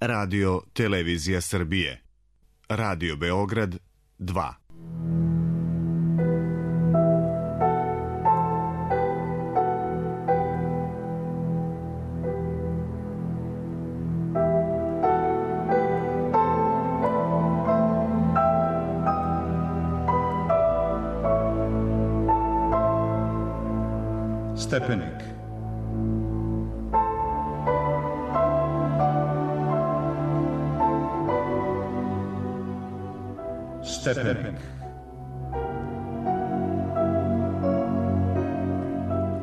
Radio Televizija Srbije. Radio Beograd 2. Stepenik. Stepenik.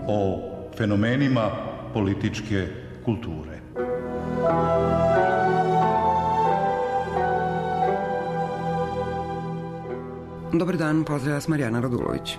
O fenomenima političke kulture. Dobar dan, pozdravlja vas Marijana Radulović.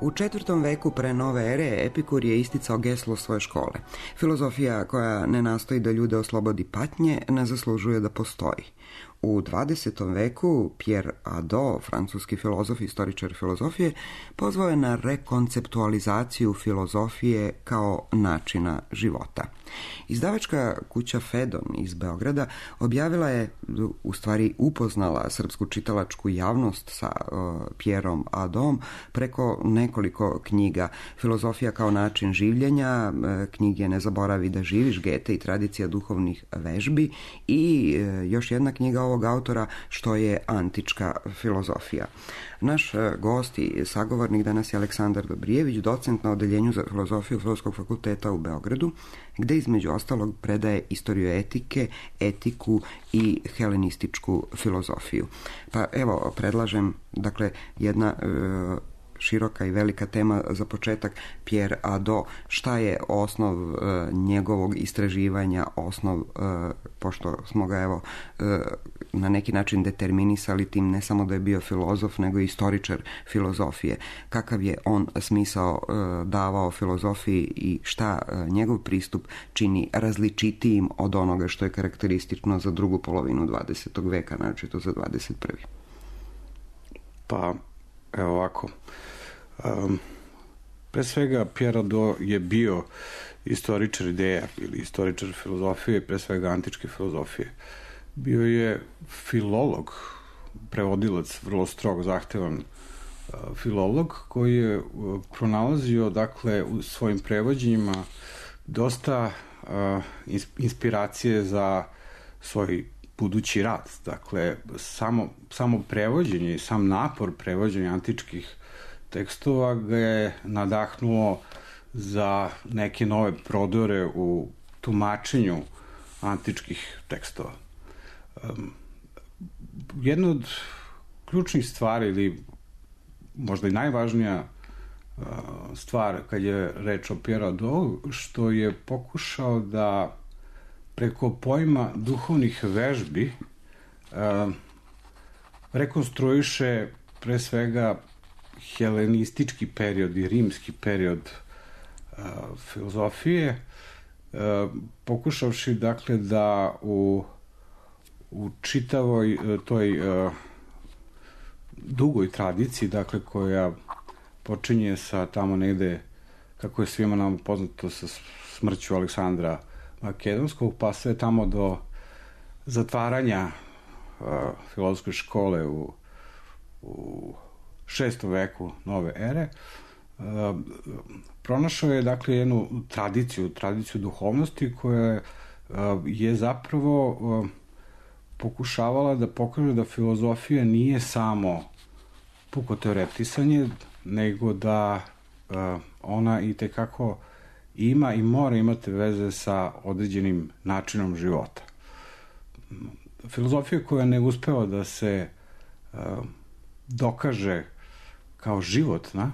U 4. veku pre nove ere Epikur je isticao geslo svoje škole. Filozofija koja ne nastoji da ljude oslobodi patnje, ne zaslužuje da postoji. U 20. veku Pierre Hadot, francuski filozof i istoričar filozofije, pozvao je na rekonceptualizaciju filozofije kao načina života. Izdavačka kuća Fedon iz Beograda objavila je, u stvari upoznala srpsku čitalačku javnost sa Pierrom Hadotom preko nekoliko knjiga. Filozofija kao način življenja, knjige Ne zaboravi da živiš, Gete i tradicija duhovnih vežbi i još jedna knjiga ovog autora, Što je antička filozofija. Naš gost i sagovornik danas je Aleksandar Dobrijević, docent na Odeljenju za filozofiju Filozofskog fakulteta u Beogradu, gde između ostalog predaje istoriju etike, etiku i helenističku filozofiju. Pa evo, predlažem, dakle, jedna široka i velika tema za početak, Pierre Hadot. Šta je osnov njegovog istraživanja, osnov, pošto smo ga evo na neki način determinisali tim ne samo da je bio filozof, nego i istoričar filozofije. Kakav je on smisao davao filozofiji i šta njegov pristup čini različitijim od onoga što je karakteristično za drugu polovinu 20. veka, naročito za 21. Pa, evo ovako. Pre svega, Pierre Hadot je bio istoričar ideja ili istoričar filozofije, pre svega antičke filozofije. Bio je filolog, prevodilac, vrlo strog, zahtevan filolog, koji je pronalazio, dakle, u svojim prevođenjima dosta inspiracije za svoj budući rad. Dakle, samo prevođenje i sam napor prevođenja antičkih tekstova ga je nadahnuo za neke nove prodore u tumačenju antičkih tekstova. Jedna od ključnih stvari, ili možda i najvažnija stvar kad je reč o Pierre Hadot, što je pokušao da preko pojma duhovnih vežbi rekonstruiše pre svega helenistički period i rimski period filozofije, pokušavši, dakle, da u čitavoj toj dugoj tradiciji, dakle, koja počinje sa tamo negde, kako je svima nam poznato, sa smrću Aleksandra Makedonskog, pa sve tamo do zatvaranja filozofske škole u 6. veku nove ere, pronašao je, dakle, jednu tradiciju duhovnosti koja je zapravo pokušavala da pokaže da filozofija nije samo puko teoretisanje, nego da ona i tekako ima i mora imati veze sa određenim načinom života. Filozofija koja ne uspeva da se dokaže kao životna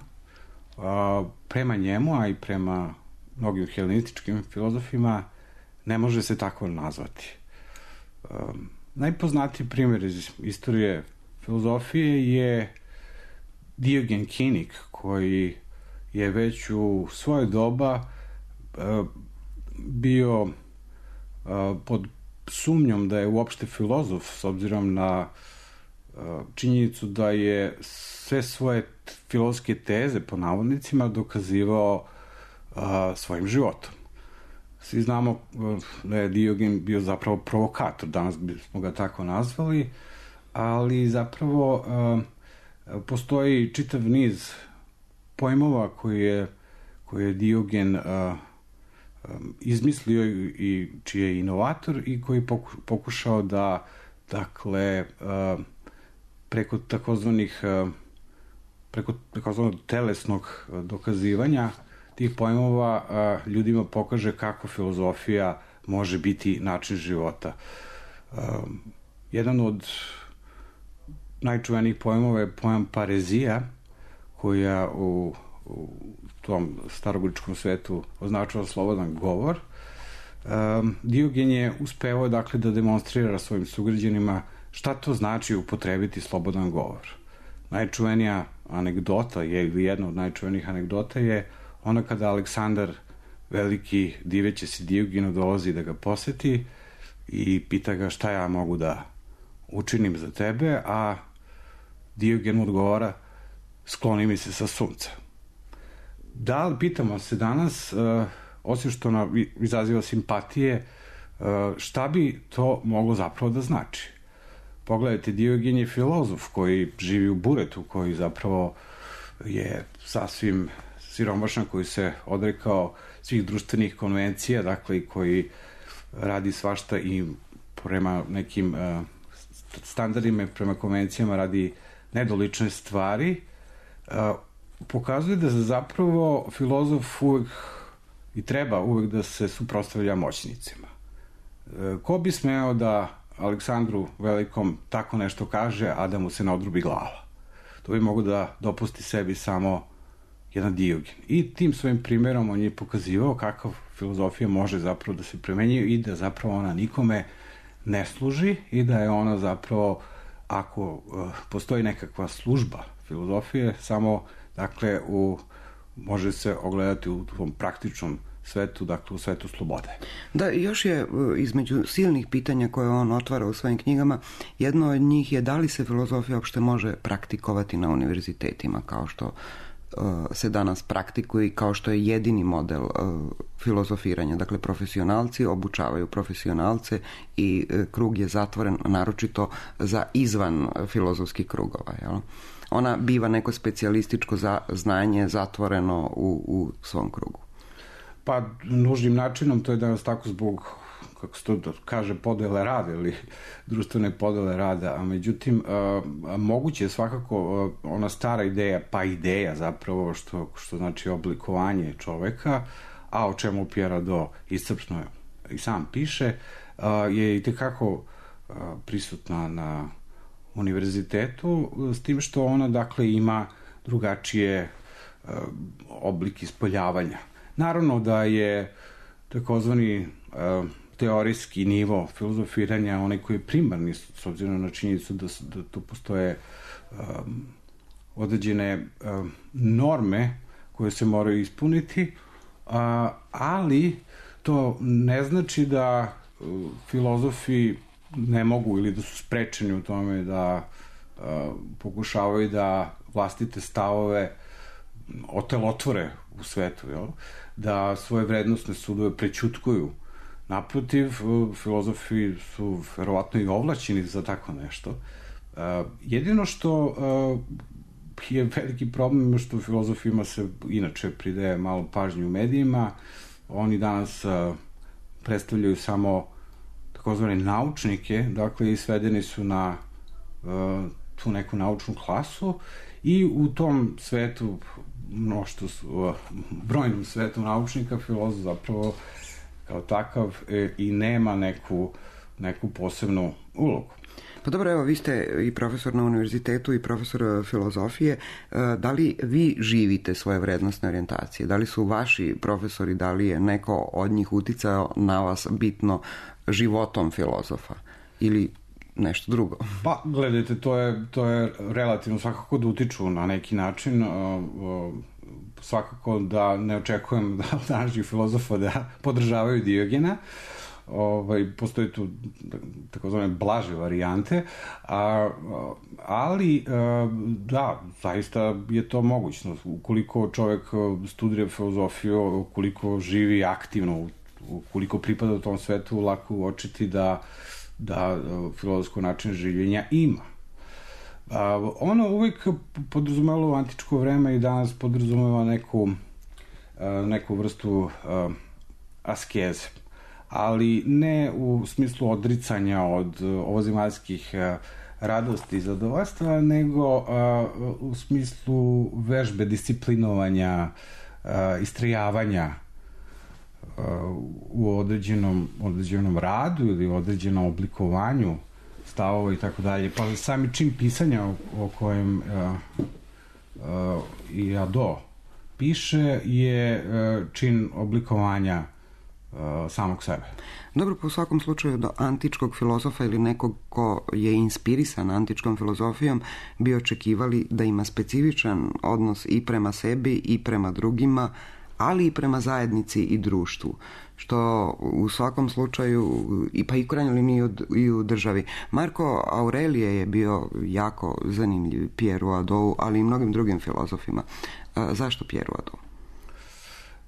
prema njemu, a i prema mnogim helenističkim filozofima, ne može se tako nazvati. Najpoznatiji primjer iz istorije filozofije je Diogen Kinik, koji je već u svoje doba bio pod sumnjom da je uopšte filozof, s obzirom na činjenicu da je sve svoje filozofske teze, po navodnicima, dokazivao svojim životom. Svi znamo da je Diogen bio zapravo provokator, danas bismo ga tako nazvali, ali zapravo postoji čitav niz pojmova koje je Diogen izmislio i čiji je inovator i koji pokušao da, dakle, preko takozvanih telesnog dokazivanja tih pojmova ljudima pokaže kako filozofija može biti način života. Jedan od najčuvenijih pojmova je pojam parezija, koja u tom starogrčkom svetu označava slobodan govor. Diogen je uspevao, dakle, da demonstrira svojim sugrađanima šta to znači upotrebiti slobodan govor. Najčuvenija anegdota je, ili jedna od najčuvenijih anegdota je ona kada Aleksandar Veliki, diveći se Diogenu, dolazi da ga poseti i pita ga šta ja mogu da učinim za tebe, a Diogen mu odgovara: skloni mi se sa sunca. Da li, pitamo se danas, osim što nam izaziva simpatije, šta bi to moglo zapravo da znači? Pogledajte, Diogen je filozof koji živi u buretu, koji zapravo je sasvim siromašan, koji se odrekao svih društvenih konvencija, dakle, i koji radi svašta i prema nekim standardima, prema konvencijama radi nedolične stvari, pokazuje da zapravo filozof uvek i treba uvek da se suprotstavlja moćnicima. Ko bi smeo da Aleksandru Velikom tako nešto kaže, a da mu se ne odrubi glava? To bi mogo da dopusti sebi samo jedan Diogen. I tim svojim primjerom on je pokazivao kako filozofija može zapravo da se primenjuje i da zapravo ona nikome ne služi i da je ona zapravo, ako postoji nekakva služba filozofije, samo, dakle, može se ogledati u tom praktičnom svetu, dakle u svetu slobode. Da, još je između silnih pitanja koje on otvara u svojim knjigama, jedno od njih je da li se filozofija uopšte može praktikovati na univerzitetima, kao što se danas praktikuje i kao što je jedini model filozofiranja. Dakle, profesionalci obučavaju profesionalce i krug je zatvoren naročito za izvan filozofskih krugova. Jel? Ona biva neko specijalističko znanje zatvoreno u svom krugu. Pa, nužnim načinom, to je danas tako zbog, kako se to kaže, podele rada ili društvene podele rada, a međutim, moguće je svakako ona stara ideja, pa ideja zapravo, što znači oblikovanje čoveka, a o čemu Pierre Hadot iscrpno i sam piše, je i tekako prisutna na univerzitetu, s tim što ona, dakle, ima drugačije oblik ispoljavanja. Naravno da je takozvani teorijski nivo filozofiranja onaj koji je primarni, s obzirom na činjenicu da tu postoje određene norme koje se moraju ispuniti, ali to ne znači da filozofi ne mogu ili da su sprečeni u tome da pokušavaju da vlastite stavove otelotvore u svetu, jel? Da svoje vrednostne sudove prećutkuju. Naprotiv, filozofi su verovatno i ovlaćeni za tako nešto. Jedino što je veliki problem što filozofima se inače pridaje malo pažnje u medijima. Oni danas predstavljaju samo takozvane naučnike, dakle, i svedeni su na tu neku naučnu klasu i u tom svetu, brojnom svetu naučnika, filozof zapravo kao takav i nema neku posebnu ulogu. Pa dobro, evo, vi ste i profesor na univerzitetu i profesor filozofije. Da li vi živite svoje vrednostne orijentacije? Da li su vaši profesori, da li je neko od njih uticao na vas bitno životom filozofa ili nešto drugo? Pa, gledajte, to je relativno, svakako da utiču na neki način, svakako da ne očekujem da današnjih filozofa da podržavaju Diogena, postoje tu takozvane blaže varijante, ali da, zaista je to mogućno. Ukoliko čovek studira filozofiju, ukoliko živi aktivno, ukoliko pripada u tom svetu, lako uočiti da filozofsko način življenja ima. Ono uvijek podrazumelo u antičko vreme i danas podrazumeva neku vrstu askeze, ali ne u smislu odricanja od ovozemaljskih radosti i zadovoljstva, nego u smislu vežbe, disciplinovanja, istrajavanja u određenom radu ili u određenom oblikovanju stavova i tako dalje. Pa sami čin pisanja o kojem i Ado piše je čin oblikovanja samog sebe. Dobro, po svakom slučaju do antičkog filozofa ili nekog ko je inspirisan antičkom filozofijom bi očekivali da ima specifičan odnos i prema sebi i prema drugima, ali i prema zajednici i društvu, što u svakom slučaju, pa i u krajnjoj liniji i u državi. Marko Aurelije je bio jako zanimljiv Pieru Hadou, ali i mnogim drugim filozofima. Zašto Pieru Hadou?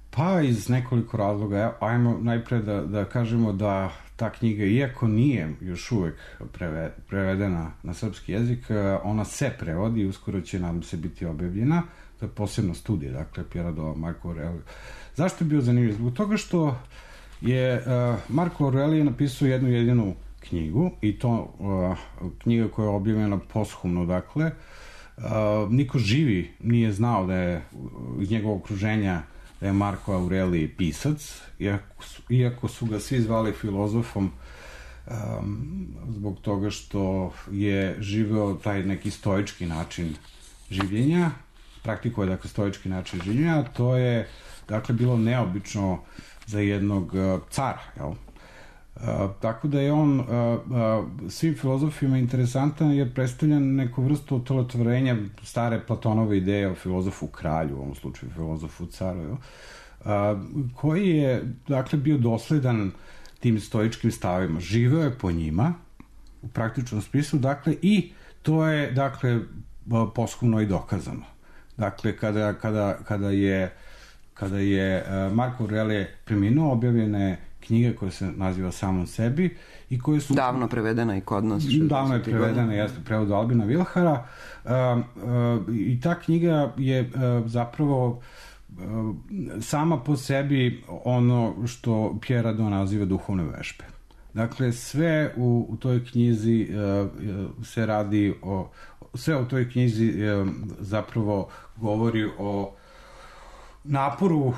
Pa iz nekoliko razloga. Ajmo najpre da kažemo da ta knjiga, iako nije još uvek prevedena na srpski jezik, ona se prevodi i uskoro će nam se biti objavljena. To je posebna studija, dakle, Pierre Hadou, Marko Aurelije. Zašto je bio zanimljiv? Zbog toga što je Marko Aurelije napisao jednu jedinu knjigu, i to knjiga koja je objavljena posthumno, dakle. Niko živi nije znao da je iz njegovog okruženja da je Marko Aurelije pisac, iako su ga svi zvali filozofom, zbog toga što je živeo taj neki stoički način življenja, praktikuje, dakle, stoički način življenja. To je, dakle, bilo neobično za jednog cara, jel? Tako da je on svim filozofima interesantan jer predstavlja neku vrstu otelotvorenja stare Platonove ideje o filozofu kralju, u ovom slučaju filozofu caru, jel? Koji je, dakle, bio dosledan tim stoičkim stavima. Živeo je po njima u praktičnom smislu, dakle, i to je, dakle, posthumno i dokazano. Dakle, kada je Marko Aurelije preminuo, objavljene knjige koja se naziva Samom sebi i koje su... Davno prevedena i kod nas. Davno je prevedena, jeste, prevod Albina Vilhara. I ta knjiga je zapravo sama po sebi ono što Pierre Hadou naziva duhovne vežbe. Dakle, sve u toj knjizi se radi o... Sve u toj knjizi zapravo govori o naporu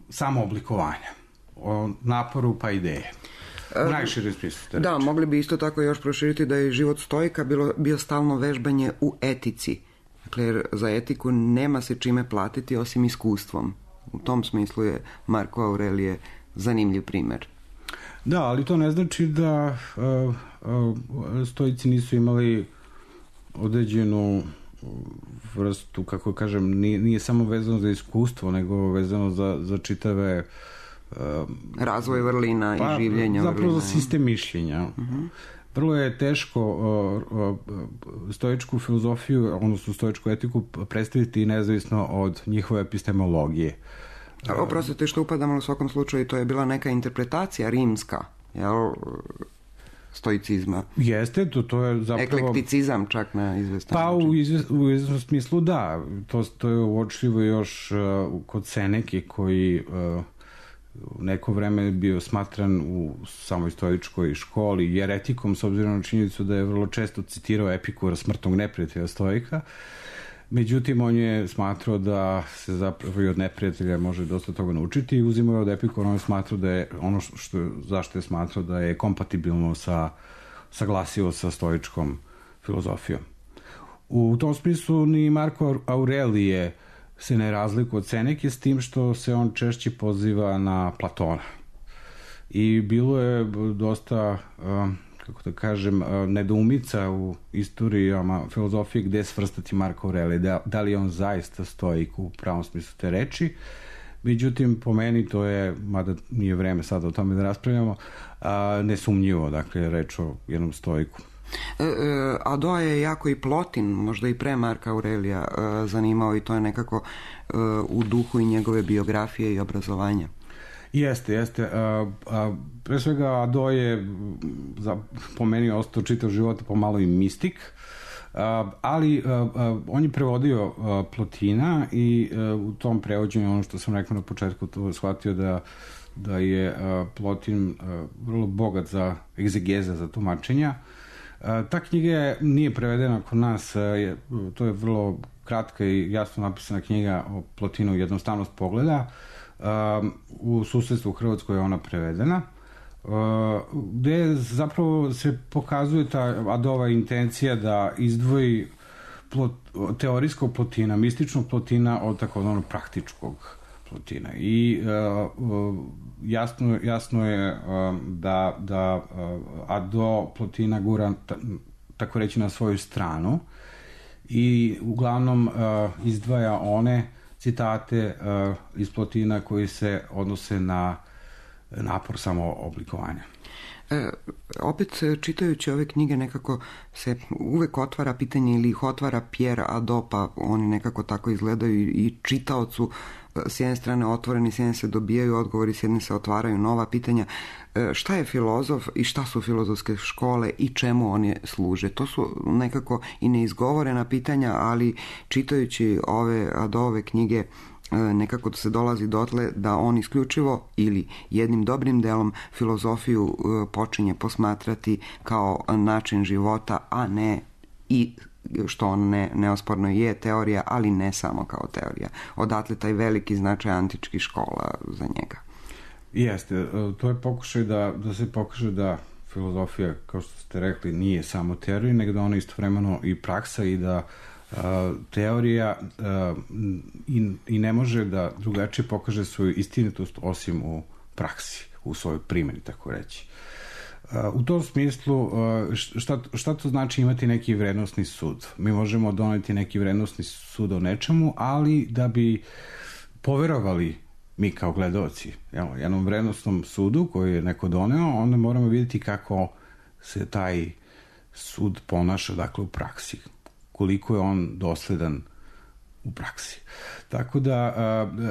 samooblikovanja, o naporu pa ideje. U najširem smislu. Da, mogli bi isto tako još proširiti da je život stoika bio stalno vežbanje u etici. Dakle, jer za etiku nema se čime platiti osim iskustvom. U tom smislu je Marko Aurelije zanimljiv primer. Da, ali to ne znači da stoici nisu imali određenu vrstu, kako kažem, nije samo vezano za iskustvo, nego vezano za čitave razvoj vrlina i življenja zapravo vrlina. Za sistem mišljenja. Vrlo je teško stoičku filozofiju, odnosno stoičku etiku predstaviti nezavisno od njihove epistemologije. Oprostite što upadamo, u svakom slučaju to je bila neka interpretacija rimska, jel, stoicizma. Jeste, to je zapravo... Eklekticizam čak na izvestan način. Pa u izvesnom smislu da. To je uočljivo još kod Seneke, koji u neko vreme bio smatran u samoj stoičkoj školi jeretikom, s obzirom na činjenicu da je vrlo često citirao Epikura, smrtnog neprijatelja stoika. Međutim, on je smatrao da se zapravo i od neprijatelja može dosta toga naučiti i uzimao je od Epikura, on je smatrao da je ono zašto je smatrao da je kompatibilno saglasivo sa stoičkom filozofijom. U tom smislu ni Marko Aurelije se ne razlikuje od Seneke, s tim što se on češće poziva na Platona. I bilo je dosta, kako da kažem, nedoumica u istorijama filozofije gde svrstati Marko Aurelije. Da li je on zaista stoik u pravom smislu te reči, Međutim, po meni to je, mada nije vreme sad o tome da raspravljamo, nesumnjivo, dakle, reč o jednom stoiku. Ado je jako i Plotin, možda i pre Marka Aurelija zanimao i to je nekako u duhu i njegove biografije i obrazovanja. Jeste. Pre svega Ado je po meni ostao čitav život pomalo i mistik, ali on je prevodio Plotina i u tom prevođenju, ono što sam rekao na početku, to je shvatio da je Plotin vrlo bogat za egzegeza, za tumačenja. Ta knjiga nije prevedena kod nas, to je vrlo kratka i jasno napisana knjiga o Plotinu Jednostavnost pogleda. U susedstvu u Hrvatskoj je ona prevedena, gde zapravo se pokazuje ta Adova intencija da izdvoji teorijskog Plotina, mističnog Plotina od takozvanog praktičkog Plotina. I jasno je da Ado Plotina gura, tako reći, na svoju stranu i uglavnom izdvaja one citate iz Plotina koji se odnose na napor samooblikovanja. Opet, čitajući ove knjige, nekako se uvek otvara pitanje ili ih otvara Pierre Ado, pa oni nekako tako izgledaju i čitaocu s jedne strane otvoreni, s jedne se dobijaju odgovori, s jedne se otvaraju nova pitanja. Šta je filozof i šta su filozofske škole i čemu oni služe? To su nekako i neizgovorena pitanja, ali čitajući ove Adove knjige nekako se dolazi dotle da on isključivo ili jednim dobrim delom filozofiju počinje posmatrati kao način života, a ne i što on neosporno je teorija, ali ne samo kao teorija. Odatle taj veliki značaj antičkih škola za njega. Jeste, to je pokušaj da se pokaže da filozofija, kao što ste rekli, nije samo teorija, nego da ona istovremeno i praksa i da teorija i ne može da drugačije pokaže svoju istinitost osim u praksi, u svojoj primjeni, tako reći. U tom smislu, šta to znači imati neki vrednosni sud? Mi možemo doneti neki vrednosni sud o nečemu, ali da bi poverovali mi kao gledaoci jednom vrednosnom sudu koji je neko doneo, onda moramo vidjeti kako se taj sud ponaša, dakle, u praksi. Koliko je on dosledan u praksi. Tako da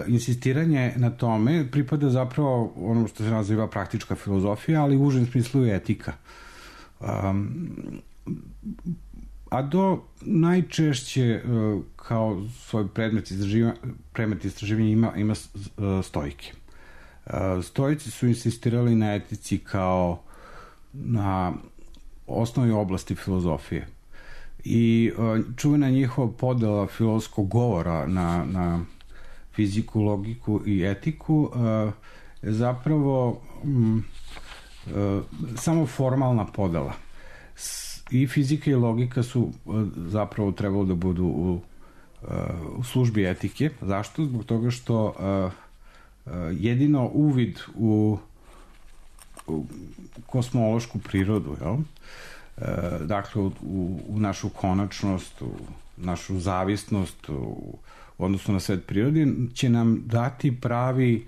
insistiranje na tome pripada zapravo ono što se naziva praktička filozofija, ali u užem smislu je etika. Ado najčešće kao svoj predmet istraživanja ima stoike. Stoici su insistirali na etici kao na osnovi oblasti filozofije. I čuvena njihova podela filozofskog govora na fiziku, logiku i etiku je zapravo samo formalna podela. I fizika i logika su zapravo trebalo da budu u službi etike. Zašto? Zbog toga što jedino uvid u kosmološku prirodu, dakle u našu konačnost, u našu zavisnost u odnosu na svet prirode, će nam dati pravi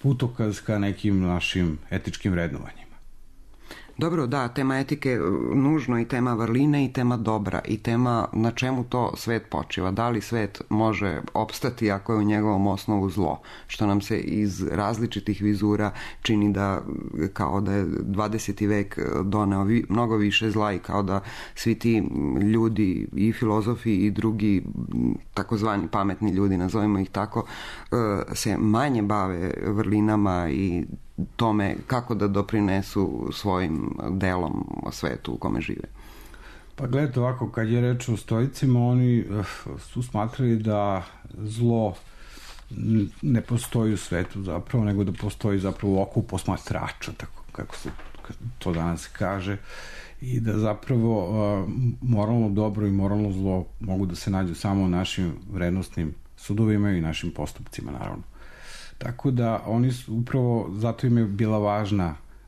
putokaz ka nekim našim etičkim vrednovanjima. Dobro, da, tema etike nužno i tema vrline i tema dobra i tema na čemu to svet počiva. Da li svet može opstati ako je u njegovom osnovu zlo, što nam se iz različitih vizura čini da kao da je 20. vek doneo mnogo više zla i kao da svi ti ljudi i filozofi i drugi takozvani pametni ljudi, nazovimo ih tako, se manje bave vrlinama i tome kako da doprinesu svojim delom o svetu u kome žive. Pa gledajte ovako, kad je reč o stoicima, oni su smatrali da zlo ne postoji u svetu zapravo, nego da postoji zapravo u oku posmatrača, tako kako se to danas kaže, i da zapravo moralno dobro i moralno zlo mogu da se nađu samo u našim vrednostnim sudovima i našim postupcima, naravno. Tako da oni su upravo, zato im je bila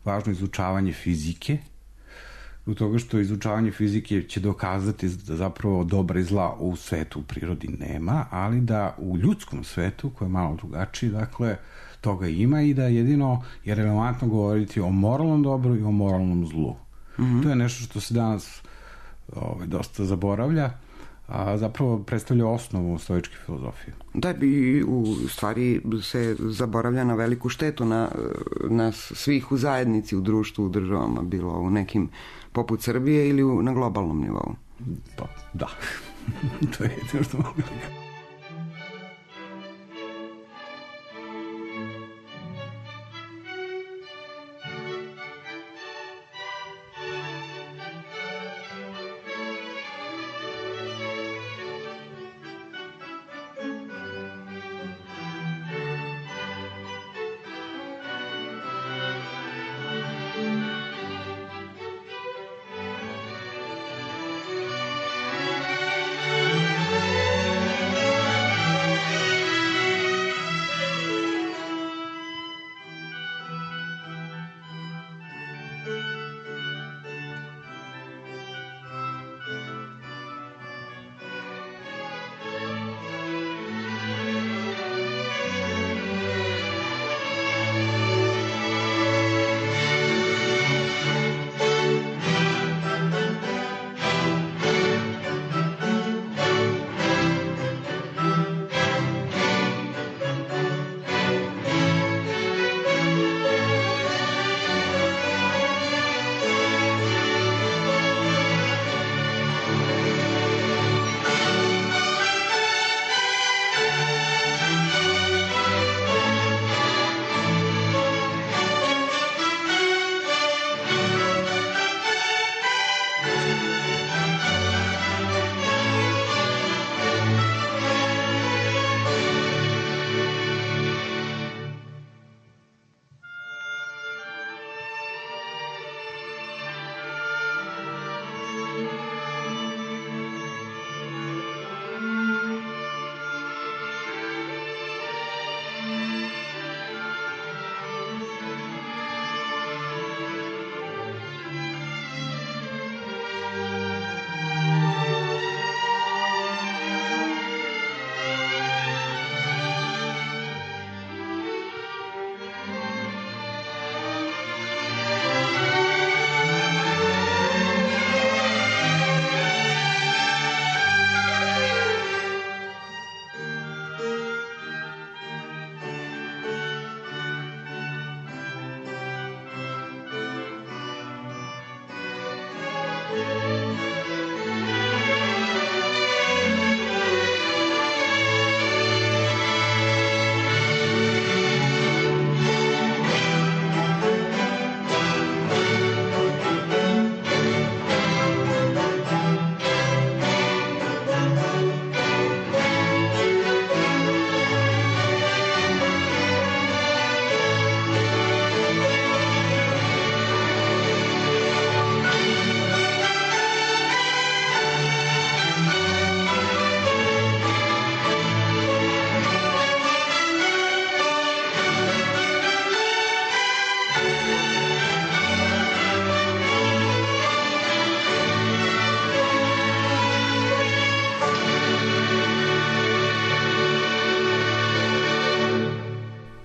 važno izučavanje fizike zbog toga što izučavanje fizike će dokazati da zapravo dobra i zla u svetu, u prirodi nema, ali da u ljudskom svetu, koji je malo drugačiji, dakle, toga ima i da jedino je relevantno govoriti o moralnom dobru i o moralnom zlu. To je nešto što se danas dosta zaboravlja, a zapravo predstavlja osnovu stoičke filozofije. Da, i u stvari se zaboravlja na veliku štetu na svih u zajednici, u društvu, u državama, bilo u nekim poput Srbije ili na globalnom nivou. Pa, da. To je jedino što mogu da.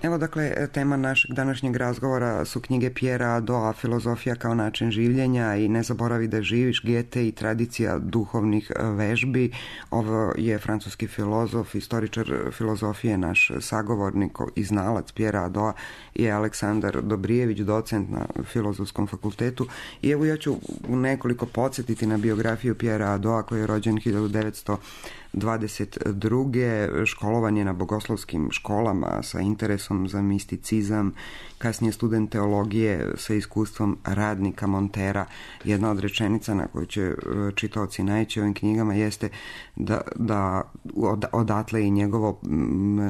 Evo, dakle, tema našeg današnjeg razgovora su knjige Pierrea Hadota, Filozofija kao način življenja i Ne zaboravi da živiš, Goethe i tradicija duhovnih vežbi. Ovo je francuski filozof, istoričar filozofije, naš sagovornik i znalac Pierrea Hadota je Aleksandar Dobrijević, docent na Filozofskom fakultetu. I evo, ja ću nekoliko podsjetiti na biografiju Pierrea Hadota, koji je rođen 1922. Školovan je na bogoslovskim školama sa interesom za misticizam, kasnije student teologije sa iskustvom radnika, montera. Jedna od rečenica na koju će čitaoci naići ovim knjigama jeste da odatle i njegovo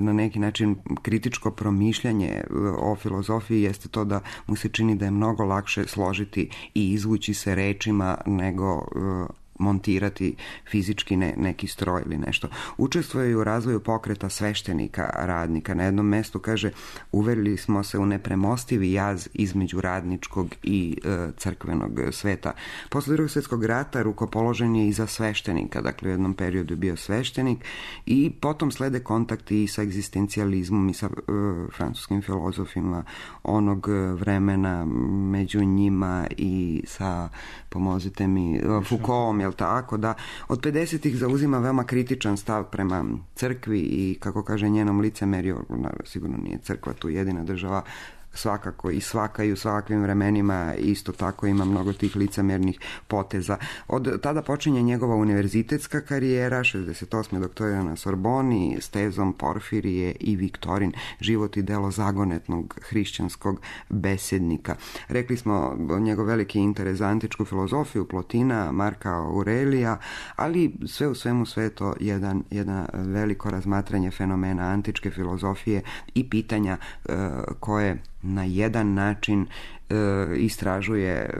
na neki način kritičko promišljanje o filozofiji jeste to da mu se čini da je mnogo lakše složiti i izvući se rečima nego montirati fizički neki stroj ili nešto. Učestvuje u razvoju pokreta sveštenika, radnika. Na jednom mestu kaže, uverili smo se u nepremostivi jaz između radničkog i crkvenog sveta. Posle Drugog svjetskog rata rukopoložen je i za sveštenika, dakle u jednom periodu je bio sveštenik i potom slede kontakti i sa egzistencijalizmom i sa francuskim filozofima onog vremena, među njima i sa, pomozite mi, Foucaultom, jel tako, da od 50-ih zauzima veoma kritičan stav prema crkvi i, kako kaže, njenom licemerju, sigurno nije crkva tu jedina država, svakako i svaka i u svakvim vremenima isto tako ima mnogo tih licemernih poteza. Od tada počinje njegova univerzitetska karijera, 68. doktorira na Sorboni s tezom Porfirije i Viktorin, život i delo zagonetnog hrišćanskog besednika. Rekli smo njegov veliki interes za antičku filozofiju, Plotina, Marka Aurelija, ali sve u svemu sve to jedno veliko razmatranje fenomena antičke filozofije i pitanja koje na jedan način istražuje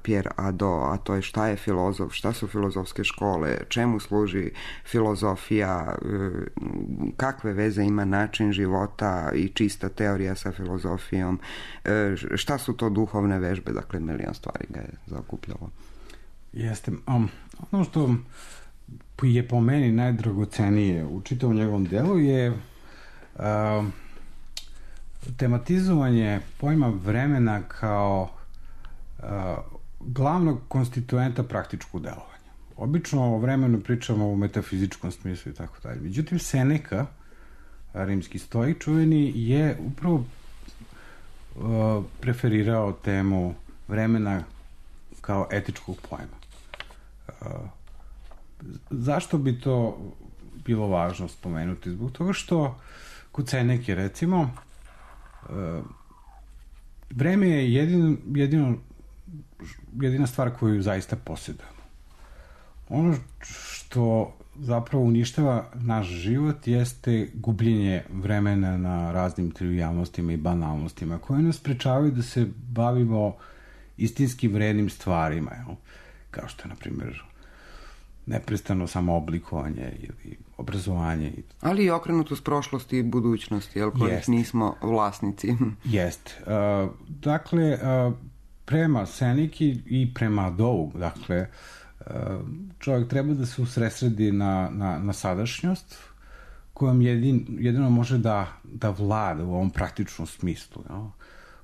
Pierre Hadot, a to je šta je filozof, šta su filozofske škole, čemu služi filozofija, kakve veze ima način života i čista teorija sa filozofijom, šta su to duhovne vežbe, dakle milion stvari ga je zaokupljalo. Jeste. Ono što je po meni najdragocenije u čitavom njegovom delu je tematizovanje pojma vremena kao glavnog konstituenta praktičkog delovanja. Obično o vremenu pričamo u metafizičkom smislu i tako dalje. Međutim, Seneca, rimski stoik čuveni, je upravo preferirao temu vremena kao etičkog pojma. Zašto bi to bilo važno spomenuti? Zbog toga što kod Seneke, recimo, vreme je jedina stvar koju zaista posjedujemo. Ono što zapravo uništava naš život jeste gubljenje vremena na raznim trivijalnostima i banalnostima koje nas sprečavaju da se bavimo istinski vrednim stvarima, jel? Kao što je, na primjer, neprestano samooblikovanje ili obrazovanje. Ali i okrenutost prošlosti i budućnosti, jel, kojih nismo vlasnici. Jeste. Dakle, prema Seneki i prema Hadotu, dakle, čovjek treba da se usredsredi na sadašnjost kojom jedino može da vlada u ovom praktičnom smislu. Jel?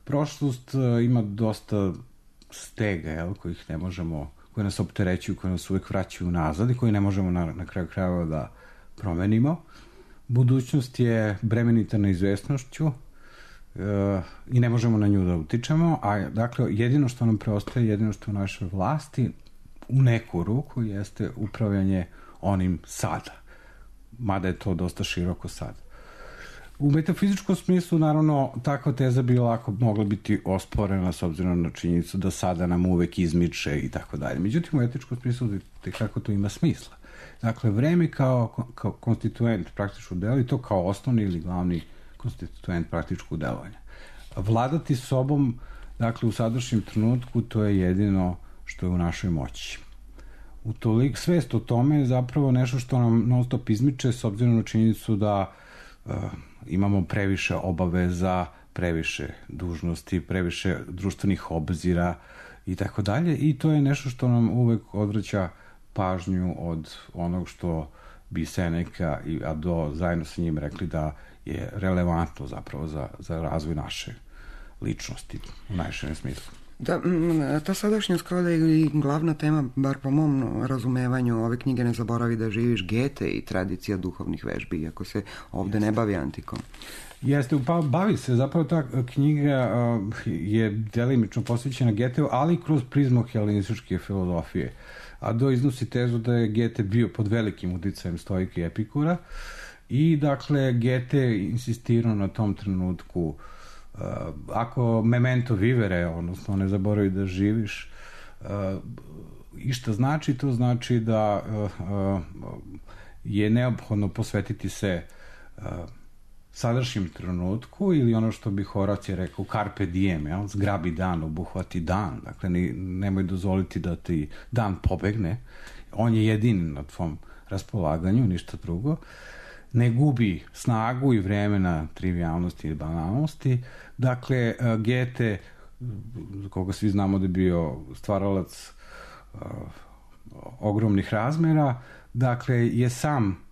Prošlost ima dosta stega, jel, kojih ne možemo, koje nas opterećuju, koje nas uvek vraćaju nazad i koje ne možemo na kraju krajeva da promenimo. Budućnost je bremenita neizvesnošću i ne možemo na nju da utičemo, a dakle jedino što nam preostaje, jedino što u našoj vlasti u neku ruku jeste upravljanje onim sada. Mada je to dosta široko sad. U metafizičkom smislu, naravno, takva teza bi lako mogla biti osporena s obzirom na činjenicu da sada nam uvek izmiče i tako dalje. Međutim, u etičkom smislu kako to ima smisla. Dakle, vreme kao konstituent praktičkog dela i to kao osnovni ili glavni konstituent praktičkog delovanja. Vladati sobom, dakle, u sadašnjem trenutku, to je jedino što je u našoj moći. Svest o tome je zapravo nešto što nam non stop izmiče s obzirom na činjenicu da imamo previše obaveza, previše dužnosti, previše društvenih obzira i tako dalje, i to je nešto što nam uvek odvraća pažnju od onog što bi Seneca i Hadot zajedno sa njim rekli da je relevantno zapravo za razvoj naše ličnosti u najširem smislu. Da, ta sadašnjost kao da je i glavna tema, bar po mom razumevanju ove knjige Ne zaboravi da živiš, Goethe i tradicija duhovnih vežbi, iako se ovde ne bavi antikom. Jeste, pa bavi se, zapravo ta knjiga je delimično posvećena Goetheu, ali kroz prizmu helenističke filozofije. Hadot iznosi tezu da je Goethe bio pod velikim uticajem stoika i Epikura i dakle Goethe insistirao na tom trenutku ako memento vivere, odnosno ne zaboravi da živiš, i šta znači? To znači da je neophodno posvetiti se sadašnjem trenutku, ili ono što bi Horacije rekao carpe diem, jel? Zgrabi dan, obuhvati dan, dakle nemoj dozvoliti da ti dan pobegne, on je jedini na tvom raspolaganju, ništa drugo, ne gubi snagu i vremena trivialnosti i banalnosti. Dakle, Goethe, koga svi znamo da je bio stvaralac ogromnih razmera, dakle, je sam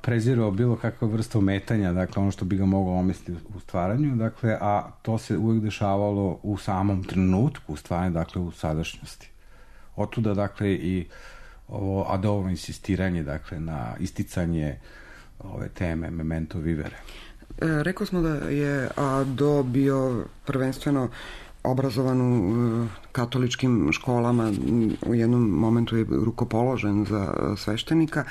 prezirao bilo kakva vrsta ometanja, dakle, ono što bi ga moglo omestiti u stvaranju, dakle, a to se uvek dešavalo u samom trenutku stvaranja, dakle, u sadašnjosti. Otuda, dakle, i ovo Adovo insistiranje, dakle, na isticanje ove teme memento vivere. Rekao smo da je Ado bio prvenstveno obrazovan u katoličkim školama, u jednom momentu je rukopoložen za sveštenika,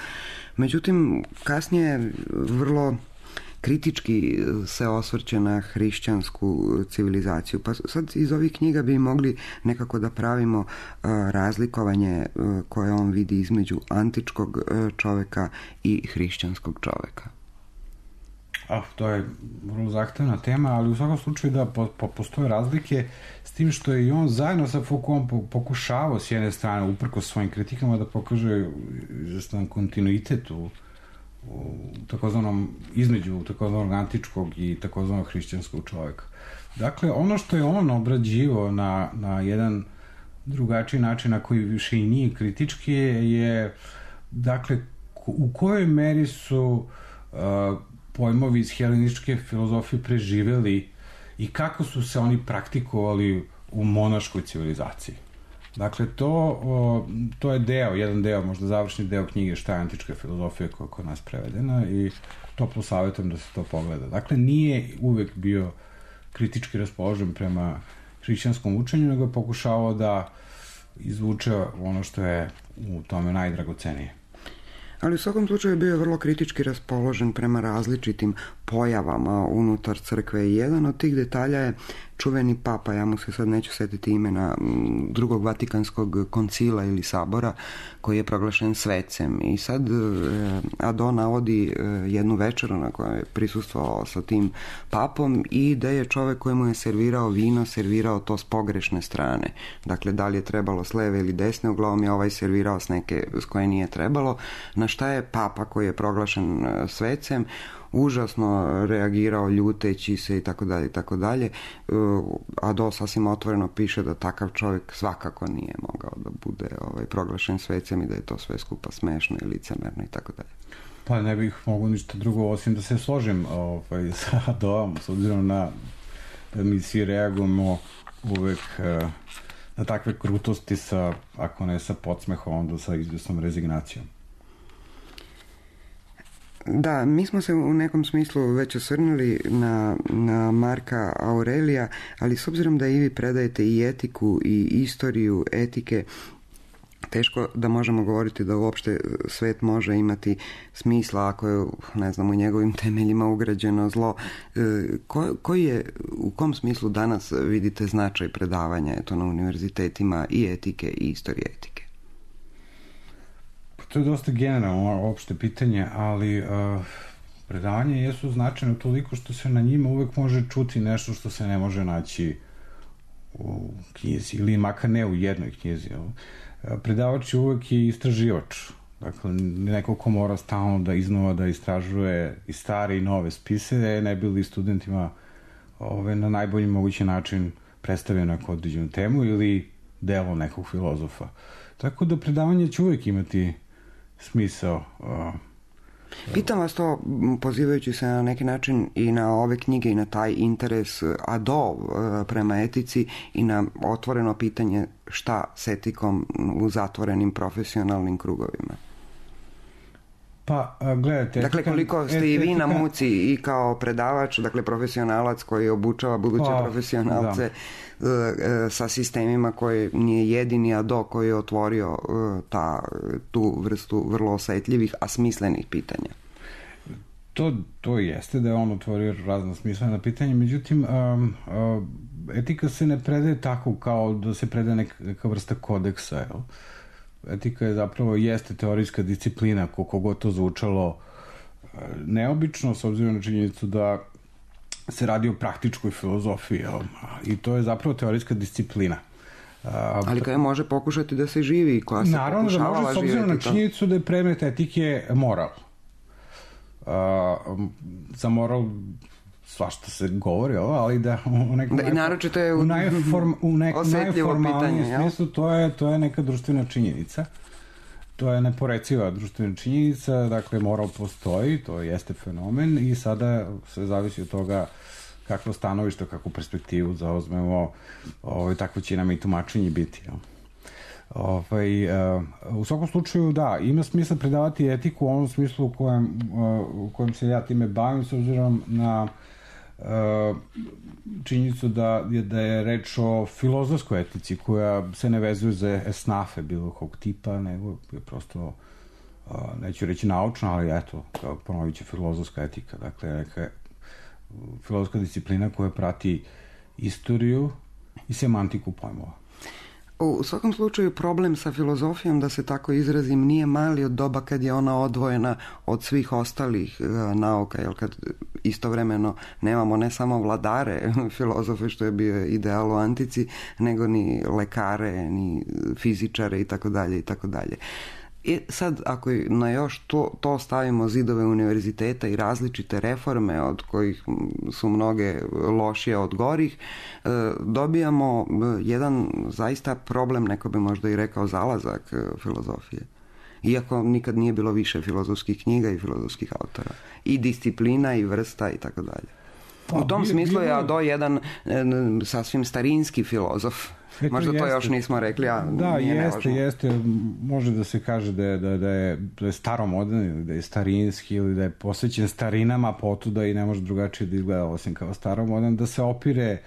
međutim kasnije vrlo kritički se osvrće na hrišćansku civilizaciju. Pa sad iz ovih knjiga bi mogli nekako da pravimo razlikovanje koje on vidi između antičkog čoveka i hrišćanskog čoveka. To je vrlo zahtevna tema, ali u svakom slučaju da postoje razlike, s tim što je i on zajedno sa Foucaultom pokušavao s jedne strane, uprkos svojim kritikama, da pokaže izvestan kontinuitet u takozvanom, između takozvanog antičkog i takozvanog hrišćanskog čoveka. Dakle, ono što je on obrađivao na jedan drugačiji način, na koji više i nije kritički, je dakle, u kojoj meri su pojmovi iz helenističke filozofije preživeli i kako su se oni praktikovali u monaškoj civilizaciji. Dakle, to je jedan deo, možda završni deo knjige Šta je antička filozofija, koja je kod nas prevedena, i toplo savjetujem da se to pogleda. Dakle, nije uvek bio kritički raspoložen prema hrišćanskom učenju, nego je pokušavao da izvuče ono što je u tome najdragocenije. Ali u svakom slučaju bio je vrlo kritički raspoložen prema različitim pojavama unutar crkve i jedan od tih detalja je čuveni papa, ja mu se sad neću setiti imena, drugog Vatikanskog koncila ili sabora, koji je proglašen svecem. I sad Ado navodi jednu večeru na kojoj je prisustvovao sa tim papom i da je čovek koji mu je servirao vino, servirao to s pogrešne strane. Dakle, da li je trebalo s leve ili desne, uglavnom je ovaj servirao s neke s koje nije trebalo, na šta je papa koji je proglašen svecem užasno reagirao ljuteći se i tako dalje i tako dalje. Ado sasvim otvoreno piše da takav čovjek svakako nije mogao da bude proglašen svecem i da je to sve skupa smešno i licemerno i tako dalje. Pa ne bih mogu ništa drugo osim da se složim sa Adoom, s obzirom na da mi svi reagujemo uvek na takve krutosti sa, ako ne sa podsmehom, onda sa izvjesnom rezignacijom. Da, mi smo se u nekom smislu već osvrnuli na Marka Aurelija, ali s obzirom da i vi predajete i etiku i istoriju etike, teško da možemo govoriti da uopšte svet može imati smisla ako je, ne znam, u njegovim temeljima ugrađeno zlo. U kom smislu danas vidite značaj predavanja na univerzitetima i etike i istorije etike? To je dosta generalno opšte pitanje, ali predavanja jesu značajne toliko što se na njima uvek može čuti nešto što se ne može naći u knjizi, ili makar ne u jednoj knjizi. Predavač je uvek i istraživač. Dakle, neko ko mora stalno da iznova da istražuje i stare i nove spise, ne bi li studentima na najbolji mogući način predstavio neku određenu temu ili delo nekog filozofa. Tako da predavanje će uvek imati smisao. Pitam vas to, pozivajući se na neki način i na ove knjige i na taj interes Ado prema etici i na otvoreno pitanje šta s etikom u zatvorenim profesionalnim krugovima. Pa, gledajte... Dakle, koliko ste i vi na muci i kao predavač, dakle profesionalac koji obučava buduće profesionalce sa sistemima koji nije jedini Ado koji je otvorio tu vrstu vrlo osetljivih, a smislenih pitanja. To jeste da je on otvorio razna smislena pitanja, međutim etika se ne predaje tako kao da se predaje neka vrsta kodeksa, jel? Etika je zapravo jeste teorijska disciplina, koliko god to zvučalo neobično, s obzirom na činjenicu da se radi o praktičkoj filozofiji, i to je zapravo teorijska disciplina. Ali koja može pokušati da se živi i koja se naravno da može, s obzirom na činjenicu da je predmet etike moral. Za moral svašta se govori, ali da u nekom najformalnijem smislu to je neka društvena činjenica. To je neporeciva društvena činjenica, dakle moral postoji, to jeste fenomen i sada sve zavisi od toga kakvo stanovište, kakvu perspektivu zauzmemo, takvo će nam i tumačenje biti. U svakom slučaju, da, ima smisla predavati etiku u onom smislu u kojem se ja time bavim, s obzirom na činjenicu da je reč o filozofskoj etici koja se ne vezuje za esnafe bilo kog tipa, nego je prosto, neću reći naučna, ali eto, ponovit će filozofska etika, dakle neka filozofska disciplina koja prati istoriju i semantiku pojmova. U svakom slučaju problem sa filozofijom, da se tako izrazim, nije mali od doba kad je ona odvojena od svih ostalih nauka, jer kad istovremeno nemamo ne samo vladare filozofe, što je bio ideal u antici, nego ni lekare, ni fizičare i tako dalje i tako dalje. I sad, ako na još to stavimo zidove univerziteta i različite reforme, od kojih su mnoge lošije od gorih, dobijamo jedan zaista problem, neko bi možda i rekao zalazak filozofije. Iako nikad nije bilo više filozofskih knjiga i filozofskih autora. I disciplina i vrsta i tako dalje. U tom smislu je Ado jedan sasvim starinski filozof. Možda to još nismo rekli, a da, nije jeste. Može da se kaže da je staromodan ili da je starinski ili da je posvećen starinama, potuda i ne može drugačije da izgleda osim kao staromodan, da se opire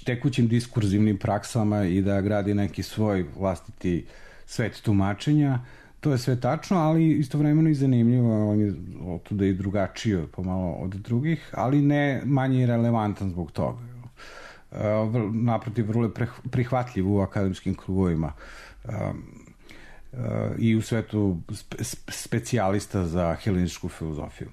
tekućim diskurzivnim praksama i da gradi neki svoj vlastiti svet tumačenja. To je sve tačno, ali istovremeno i zanimljivo, on je otuda i drugačiji pomalo od drugih, ali ne manje relevantan zbog toga. Naprotiv, vrlo je prihvatljiv u akademskim krugovima i u svetu specijalista za helenističku filozofiju.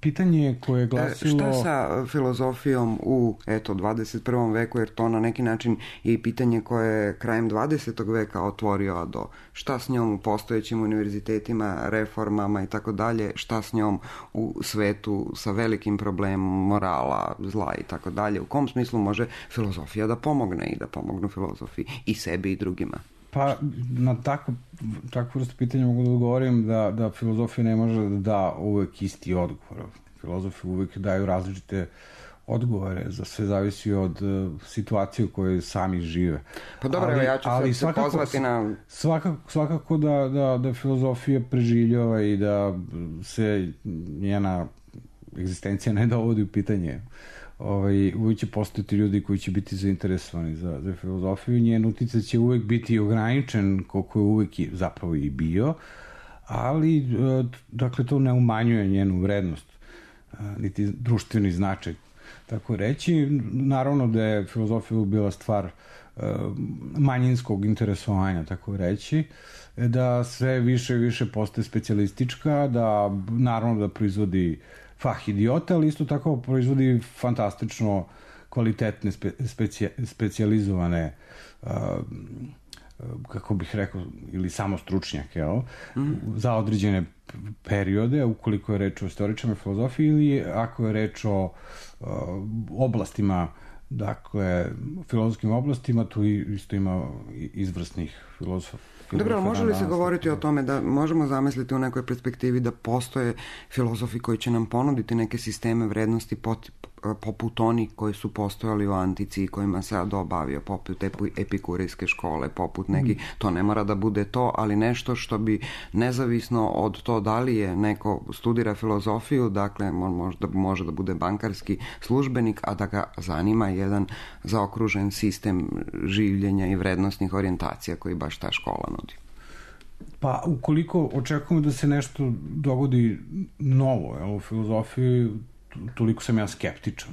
Pitanje koje je glasilo... Šta sa filozofijom u 21. veku, jer to na neki način je i pitanje koje je krajem 20. veka otvorio Ado. Šta s njom u postojećim univerzitetima, reformama i tako dalje, šta s njom u svetu sa velikim problemom morala, zla i tako dalje. U kom smislu može filozofija da pomogne i da pomognu filozofi i sebi i drugima? Pa na takvu vrstu pitanja mogu da odgovorim da filozofija ne može da da uvek isti odgovor. Filozofi uvek daju različite odgovore, za sve zavisi od situacije u kojoj sami žive. Pa dobro, ja ću se pozvati na... Svakako da filozofija preživljava i da se njena egzistencija ne dovodi u pitanje. Uvijek će postojati ljudi koji će biti zainteresovani za filozofiju. Njen uticaj će uvijek biti ograničen, koliko je uvijek zapravo i bio, ali dakle to ne umanjuje njenu vrednost, niti društveni značaj, tako reći. Naravno da je filozofija bila stvar manjinskog interesovanja, tako reći, da sve više i više postaje specijalistička, da naravno da proizvodi fah idiota, ali isto tako proizvodi fantastično kvalitetne specijalizovane kako bih rekao, ili samo stručnjake, za određene periode, ukoliko je reč o istoričama filozofiji ili ako je reč o oblastima, dakle, filozofskim oblastima, tu isto ima izvrsnih filozofa. Dobro, ali može li se govoriti o tome da možemo zamisliti u nekoj perspektivi da postoje filozofi koji će nam ponuditi neke sisteme vrednosti poput onih koji su postojali u antici i kojima se Ado bavio, poput epikurijske škole, poput neki, to ne mora da bude to, ali nešto što bi nezavisno od to da li je neko studira filozofiju, dakle može da bude bankarski službenik, a da ga zanima jedan zaokružen sistem življenja i vrednostnih orijentacija koji baš ta škola nudi. Pa ukoliko očekujemo da se nešto dogodi novo u filozofiji, toliko sam ja skeptičan,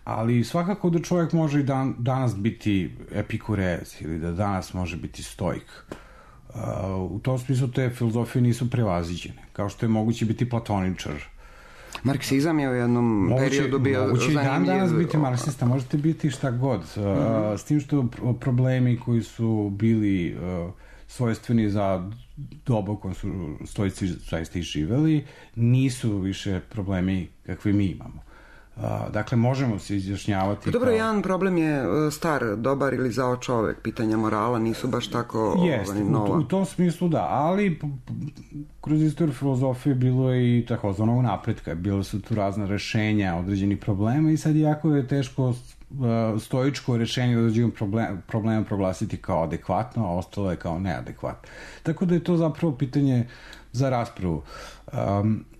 ali svakako da čovjek može i danas biti epikurez ili da danas može biti stoik. U tom smislu te filozofije nisu prevaziđene, kao što je moguće biti platoničar. Marksizam je u jednom periodu bio zanimljiv. Moguće i dan danas biti marksista, možete biti šta god. S tim što problemi koji su bili svojstveni za dobu kojem su stoici zaista i živeli, nisu više problemi kakve mi imamo. Dakle, možemo se izjašnjavati... Dobro, jedan problem je star, dobar ili zao čovek. Pitanja morala nisu baš tako nova. U tom smislu da, ali kroz istoriju filozofije bilo je i takozvanog napretka. Bilo su tu razna rešenja određenih problema i sad jako je teško stoičko rešenje određenog problema proglasiti kao adekvatno, a ostalo je kao neadekvatno. Tako da je to zapravo pitanje za raspravu.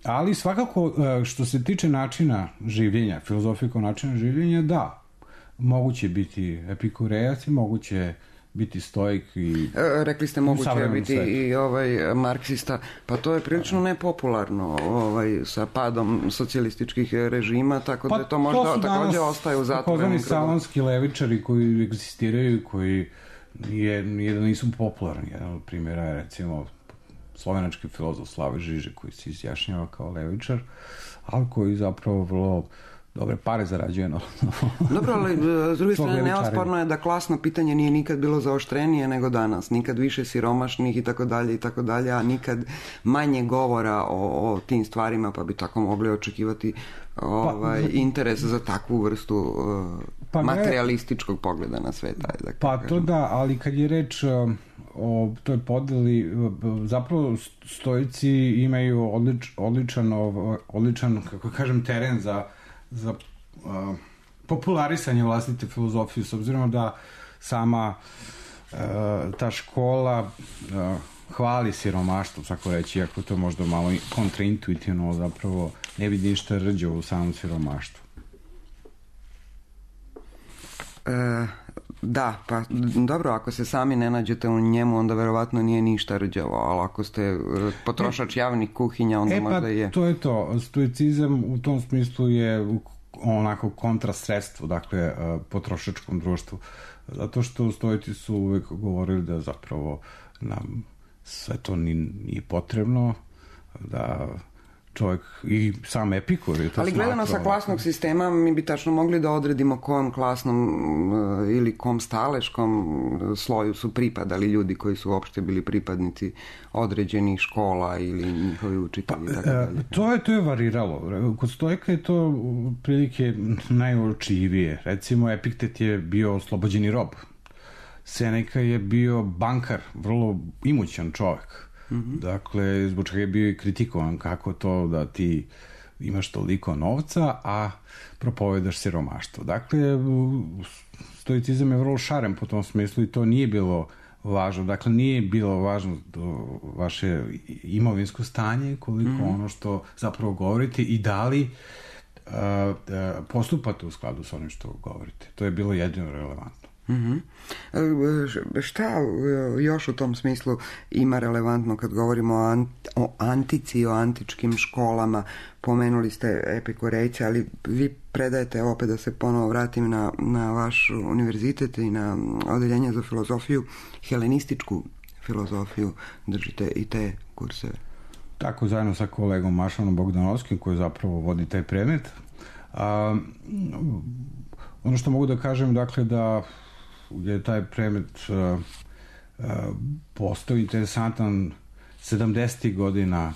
Ali svakako što se tiče načina življenja, filozofije kao načina življenja, da, moguće biti epikurejac i moguće biti stoik i rekli ste moguće biti i marksista, pa to je prilično nepopularno sa padom socijalističkih režima, tako da to možda takođe ostaje u zatvorenom krugu. Salonski levičari koji egzistiraju, koji jedan nisu popularni. Jedan od primjera je recimo slovenački filozof Slavoj Žižek koji se izjašnjava kao levičar, ali koji zapravo vrlo dobre pare zarađuje. Dobro, ali s druge strane neosporno je da klasno pitanje nije nikad bilo zaoštrenije nego danas. Nikad više siromašnih i tako dalje, a nikad manje govora o tim stvarima, pa bi tako mogli očekivati interes za takvu vrstu materialističkog pogleda na svet. To da, ali kad je reč o toj podeli, zapravo stoici imaju odličan, kako kažem, teren za popularisanje vlastite filozofije, s obzirom da sama ta škola hvali siromaštvo, tako reći, iako to možda malo kontraintuitivno, zapravo ne vidi ništa rđe u samom siromaštvu. Da, pa dobro, ako se sami ne nađete u njemu, onda verovatno nije ništa rđavo, ali ako ste potrošač javnih kuhinja, onda možda je. To je to. Stoicizam u tom smislu je onako kontrasredstvo, dakle, potrošačkom društvu. Zato što stoici su uvek govorili da zapravo nam sve to nije potrebno, da čovjek i sam Epikur je to ali gledano sa klasnog sistema mi bi tačno mogli da odredimo kom klasnom ili kom staleškom sloju su pripadali ljudi koji su uopšte bili pripadnici određenih škola ili njihovi učitelji. To je variralo. Kod stoika je to prilike najuočljivije. Recimo Epiktet je bio oslobođeni rob. Seneca je bio bankar, vrlo imućan čovjek. Dakle, zbog čega je bio i kritikovan kako to da ti imaš toliko novca, a propovedaš siromaštvo. Dakle, stoicizam je vrlo šaren po tom smislu i to nije bilo važno. Dakle, nije bilo važno vaše imovinsko stanje, koliko ono što zapravo govorite i da li postupate u skladu sa onim što govorite. To je bilo jedino relevantno. Šta još u tom smislu ima relevantno kad govorimo o antici i o antičkim školama? Pomenuli ste epikurejce, ali vi predajete, opet da se ponovo vratim na vaš univerzitet i na odeljenje za filozofiju, helenističku filozofiju, držite i te kurseve. Tako, zajedno sa kolegom Mašanom Bogdanovskim koji zapravo vodi taj predmet. Ono što mogu da kažem, dakle, da je taj predmet postao interesantan 70. godina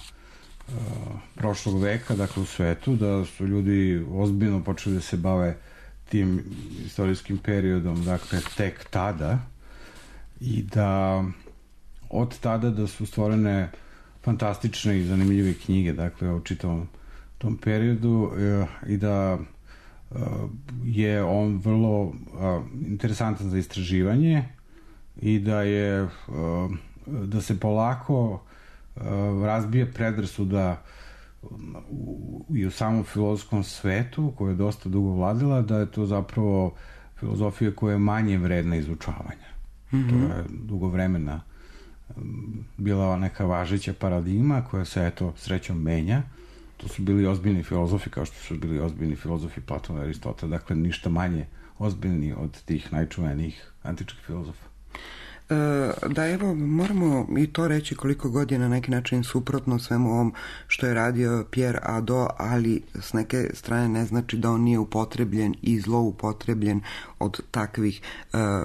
prošlog veka, dakle u svetu, da su ljudi ozbiljno počeli da se bave tim istorijskim periodom, dakle tek tada, i da od tada da su stvorene fantastične i zanimljive knjige, dakle o čitavom tom periodu, i da je on vrlo interesantan za istraživanje i da se polako razbije predrasuda i u samom filozofskom svetu, koja je dosta dugo vladila, da je to zapravo filozofija koja je manje vredna izučavanja. To je dugo vremena bila neka važeća paradigma koja se, eto, srećom menja. To su bili ozbiljni filozofi, kao što su bili ozbiljni filozofi Platona i Aristotela, dakle ništa manje ozbiljni od tih najčuvenijih antičkih filozofa. Da, evo, moramo i to reći koliko godina na neki način suprotno svemu ovom što je radio Pierre Hadot, ali s neke strane ne znači da on nije upotrebljen i zloupotrebljen od takvih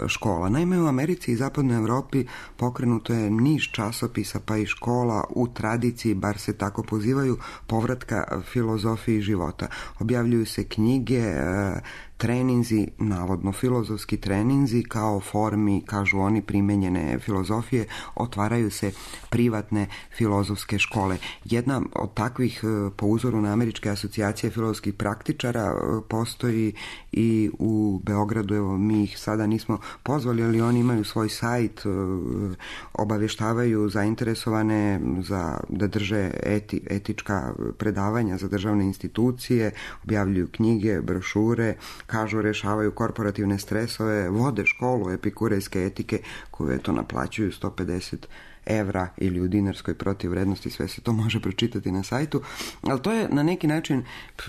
škola. Naime, u Americi i zapadnoj Evropi pokrenuto je niz časopisa pa i škola u tradiciji, bar se tako pozivaju, povratka filozofiji života. Objavljuju se knjige, treninzi, navodno filozofski treninzi kao formi, kažu oni, primenjene filozofije, otvaraju se privatne filozofske škole. Jedna od takvih, po uzoru na Američke asocijacije filozofskih praktičara, postoji i u Beogradu. Evo, mi ih sada nismo pozvali, ali oni imaju svoj sajt, obavještavaju zainteresovane da drže etička predavanja za državne institucije, objavljuju knjige, brošure, kažu rešavaju korporativne stresove, vode školu epikurejske etike koju eto naplaćuju 150 evra ili u dinarskoj protivvrednosti, sve se to može pročitati na sajtu, ali to je na neki način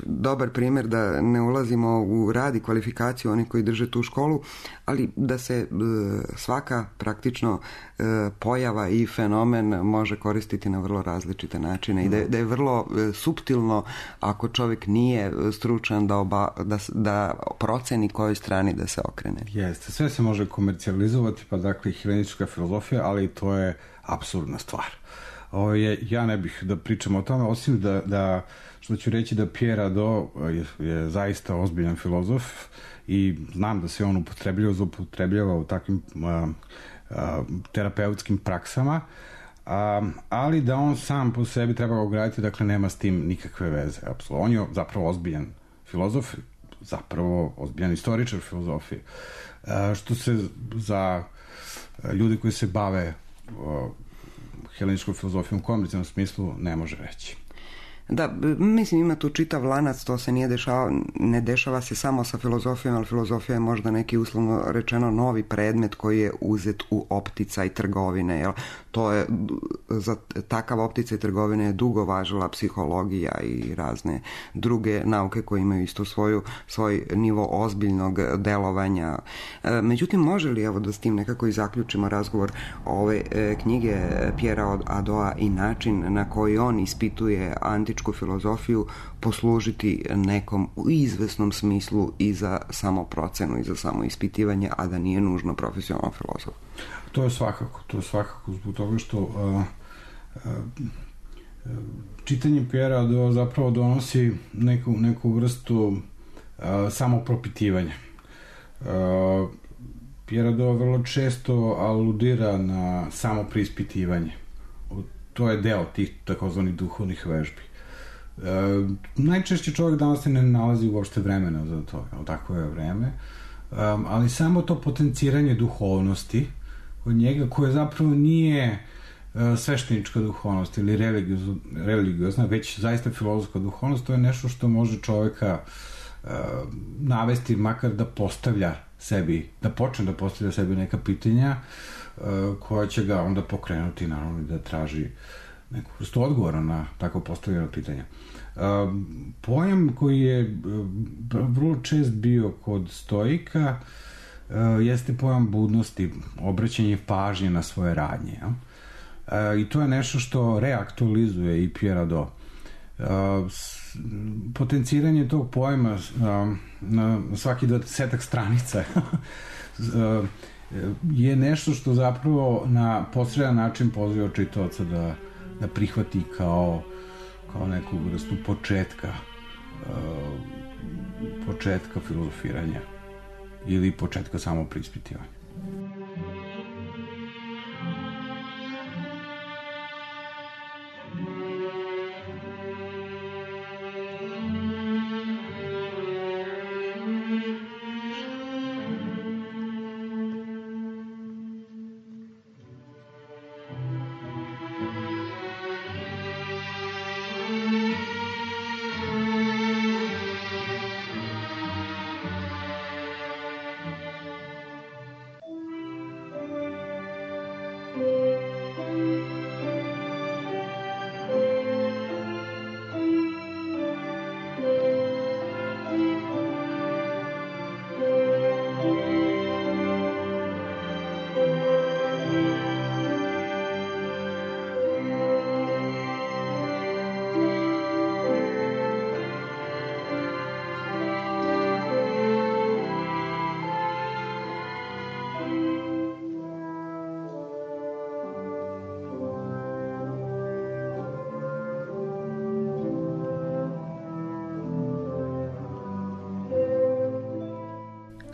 dobar primjer da ne ulazimo u rad i kvalifikaciju onih koji drže tu školu, ali da se svaka praktično pojava i fenomen može koristiti na vrlo različite načine i da je vrlo suptilno ako čovjek nije stručan da proceni kojoj strani da se okrene. Jeste, sve se može komercijalizovati, pa dakle helenistička filozofija, ali to je apsurdna stvar. Ja ne bih da pričam o tome, osim da što ću reći da Pierre Hadot je zaista ozbiljan filozof i znam da se on zloupotrebljava u takvim terapeutskim praksama, ali da on sam po sebi treba ograditi, dakle nema s tim nikakve veze. Apsolutno. On je zapravo ozbiljan filozof, zapravo ozbiljan istoričar filozofije. Što se za ljudi koji se bave heleničkom filozofijom u komercijalnom smislu ne može reći. Da, mislim ima tu čitav lanac, to se ne dešava se samo sa filozofijom, ali filozofija je možda neki uslovno rečeno novi predmet koji je uzet u opticaj trgovine, jel? To je, za takav opticaj trgovine je dugo važila psihologija i razne druge nauke koje imaju isto svoj nivo ozbiljnog delovanja. Međutim, može li, evo da s tim nekako i zaključimo razgovor ove knjige Pierre Hadota i način na koji on ispituje antičku filozofiju poslužiti nekom u izvesnom smislu i za samoprocenu i za samoispitivanje, a da nije nužno profesionalan filozof? To je svakako zbog toga što čitanje Pierre Hadota zapravo donosi neku vrstu samopropitivanja. Pierre Hadot vrlo često aludira na samopreispitivanje. To je deo tih takozvanih duhovnih vežbi. Najčešće čovjek danas ne nalazi uopšte vremena za to, tako je vreme, ali samo to potenciranje duhovnosti od njega, koje zapravo nije sveštenička duhovnost ili religiozna, već zaista filozofska duhovnost, to je nešto što može čovjeka navesti makar da postavlja sebi, da počne da postavlja sebi neka pitanja koja će ga onda pokrenuti, naravno, da traži neku vrstu odgovora na tako postavljeno pitanja. Pojam koji je vrlo čest bio kod stoika jeste pojam budnosti, obraćanje pažnje na svoje radnje. I to je nešto što reaktualizuje i Pierre Hadot. Potenciranje tog pojma na svaki 20 stranica je nešto što zapravo na posredan način poziva čitaoca da prihvati kao neku vrstu početka filozofiranja ili početka samopreispitivanja.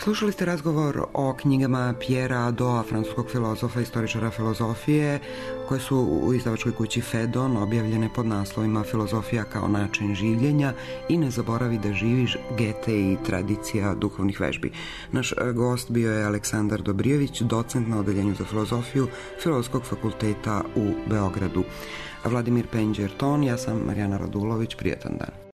Slušali ste razgovor o knjigama Pierra Hadota, francuskog filozofa i istoričara filozofije, koje su u izdavačkoj kući Fedon objavljene pod naslovima Filozofija kao način življenja i Ne zaboravi da živiš, Gete i tradicija duhovnih vežbi. Naš gost bio je Aleksandar Dobrijević, docent na Odeljenju za filozofiju Filozofskog fakulteta u Beogradu. Vladimir Penđer ton, ja sam Marijana Radulović, prijatan dan.